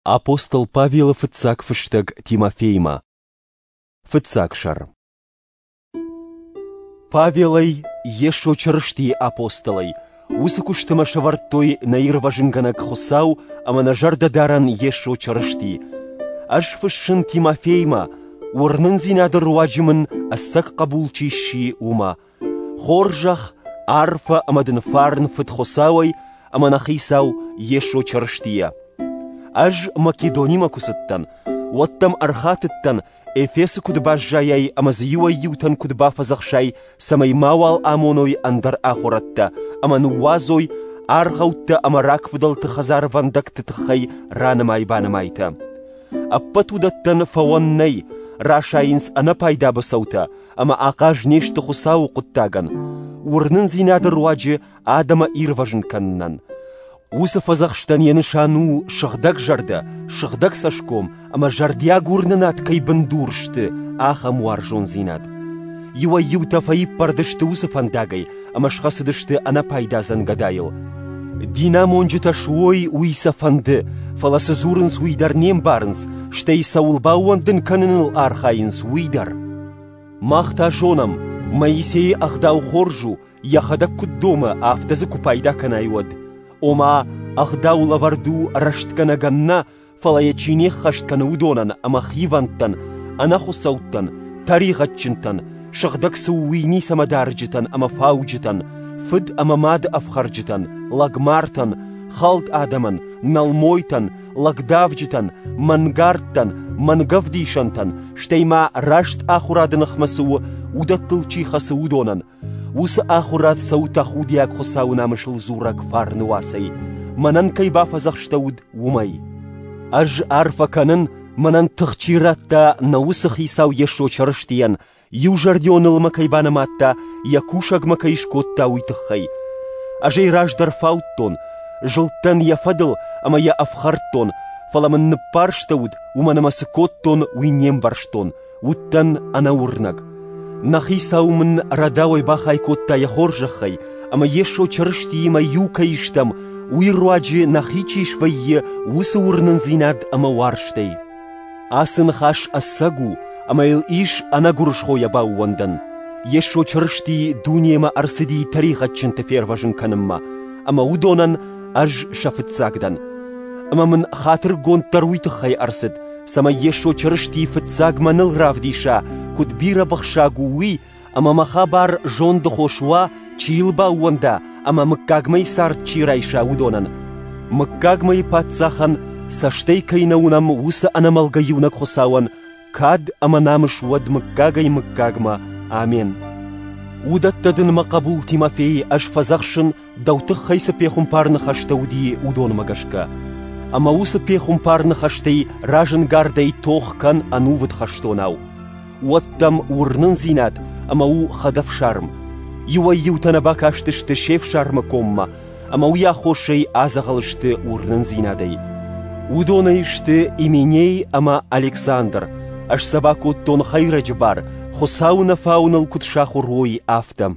Апостол Павелы фыццаг фыстӕг Тимофеймӕ. Фыццаг сӕр. Павелӕй, Йесо Чырыстийы апостолӕй, уыцы куысты мӕ сӕвӕрдтой нӕ Ирвӕзынгӕнӕг Хуыцау ӕмӕ нӕ зӕрдӕдарӕн Йесо Чырысти. Ӕз фыссын Тимофеймӕ, уырнындзинады руаджы мын ӕцӕг хъӕбул чи сси, уымӕ. Хорзӕх, арфӕ ӕмӕ дын фарн Фыд Хуыцауӕй ӕмӕ нӕ Хицау Йесо Чырыстийӕ. Ӕз Македонимӕ куы цыдтӕн, уӕд дӕм ӕрхатыдтӕн, Эфесы куыд баззайай ӕмӕ дзы иуӕй-иутӕн куыд бафӕдзӕхсай, цӕмӕй мауал амоной ӕндӕр ахуырӕдтӕ ӕмӕ ныууадзой аргъӕуттӕ ӕмӕ рагфыдӕлты хӕдзарвӕндӕгты тыххӕй ранымай-банымайтӕ. Ӕппӕт уыдӕттӕн фӕуӕн нӕй, расайынц ӕнӕпайда быцӕутӕ ӕмӕ ахъаз не сты Хуыцауы хъуыддагӕн, уырнындзинады руаджы адӕмы ирвӕзын кӕнынӕн. Уыцы фӕдзӕхстӕн йӕ нысан у сыгъдӕг зӕрдӕ, сыгъдӕг цӕсгом ӕмӕ зӕрдиаг уырнынад кӕй бындур сты, ахӕм уарзондзинад. Иуӕй-иутӕ фӕиппӕрд сты уыцы фӕндагӕй ӕмӕ схӕцыдысты ӕнӕпайда дзӕнгӕдайыл. Динамонджытӕ суой, уый сӕ фӕнды, фӕлӕ цы дзурынц, уый дӕр не мбарынц, стӕй цӕуыл баууӕндын кӕныныл архайынц, уый дӕр. Мах та зонӕм, Моисейы ӕгъдау хорз у, йӕхӕдӕг куыд домы, афтӕ дзы куы пайда кӕнай, уӕд. Ома, ӕгъдау лӕвӕрд у рӕстгӕнӕгӕн нӕ, фӕлӕ йӕ чи не ххӕст кӕны, уыдонӕн ӕмӕ хивӕндтӕн, ӕнӕхуыцӕуттӕн, тӕригъӕдджынтӕн, сыгъдӕг цы у, уый ницӕмӕ дарджытӕн ӕмӕ фауджытӕн, фыд ӕмӕ мады ӕфхӕрджытӕн, лӕгмартӕн, хӕлд адӕмӕн, нӕлмойтӕн, лӕгдавджытӕн, мӕнгардтӕн, мӕнгӕвдисӕнтӕн, стӕй ма раст ахуырады ныхмӕ цы у, уыдӕттыл чи хӕцы, уыдонӕн. Уыцы ахуырад цӕуы тӕхудиаг Хуыцауы намысыл дзурӕг фарны уацӕй, мӕнӕн кӕй бафӕдзӕхстӕуыд, уымӕй. Ӕз арфӕ кӕнын, мӕнӕн тых чи радта, нӕ уыцы Хицау Йесо Чырыстийӕн, иузӕрдионыл мӕ кӕй банымадта, йӕ кусӕг мӕ кӕй скодта, уый тыххӕй. Ӕз ӕй раздӕр фаудтон, зылдтӕн йӕ фӕдыл ӕмӕ йӕ ӕфхӕрдтон, фӕлӕ мын ныббарстӕуыд, уымӕн ӕмӕ цы кодтон, уый не мбӕрстон, уыдтӕн ӕнӕуырнӕг. Нӕ Хицау мын рӕдауӕй бахай кодта йӕ хорзӕхӕй, ӕмӕ Йесо Чырыстиимӕ иу кӕй стӕм, уый руаджы нӕхи чи свӕййы, уыцы уырнындзинад ӕмӕ уарзтӕй. Ацы ныхас ӕцӕг у, ӕмӕ йыл ис ӕнӕгуырысхойӕ баууӕндӕн. Йесо Чырысти дунемӕ ӕрцыди тӕригъӕдджынты фервӕзын кӕнынмӕ, ӕмӕ уыдонӕн ӕз сӕ фыццаг дӕн. Ӕмӕ мын хатыргонд дӕр уый тыххӕй ӕрцыд, цӕмӕй Йесо Чырысти фыццаг мӕныл равдиса, куыд бирӕ быхсаг у, уый, ӕмӕ мӕ хабар зонды хос уа, чи йыл баууӕнда ӕмӕ мыггагмӕйы цард чи райса, уыдонӕн. Мыггагмӕйы паддзахӕн, цӕстӕй кӕй нӕ уынӕм, уыцы ӕнӕмӕлгӕ иунӕг Хуыцауӕн кад ӕмӕ намыс уӕд мыггагӕй-мыггагмӕ. Амен. Уыдӕттӕ дын, мӕ хъӕбул Тимофей, ӕз фӕдзӕхсын, дӕу тыххӕй цы пехуымпар ныхӕстӕ уыди, уыдонмӕ гӕсгӕ. Ӕмӕ уыцы пехуымпар ныхӕстӕй разӕнгардӕй тох кӕн ӕнувыд хӕстонау. Уӕд дӕм уырнындзинад ӕмӕ у хӕдӕфсарм. Иуӕй-иутӕ нӕ бакастысты се фсармы коммӕ, ӕмӕ уый аххосӕй адзӕгъӕл сты уырнындзинадӕй. Уыдонӕй сты Именей ӕмӕ Александр. Ӕз сӕ бакодтон хӕйрӕджы бар, Хуыцауы нӕ фауыныл куыд сахуыр уой, афтӕ.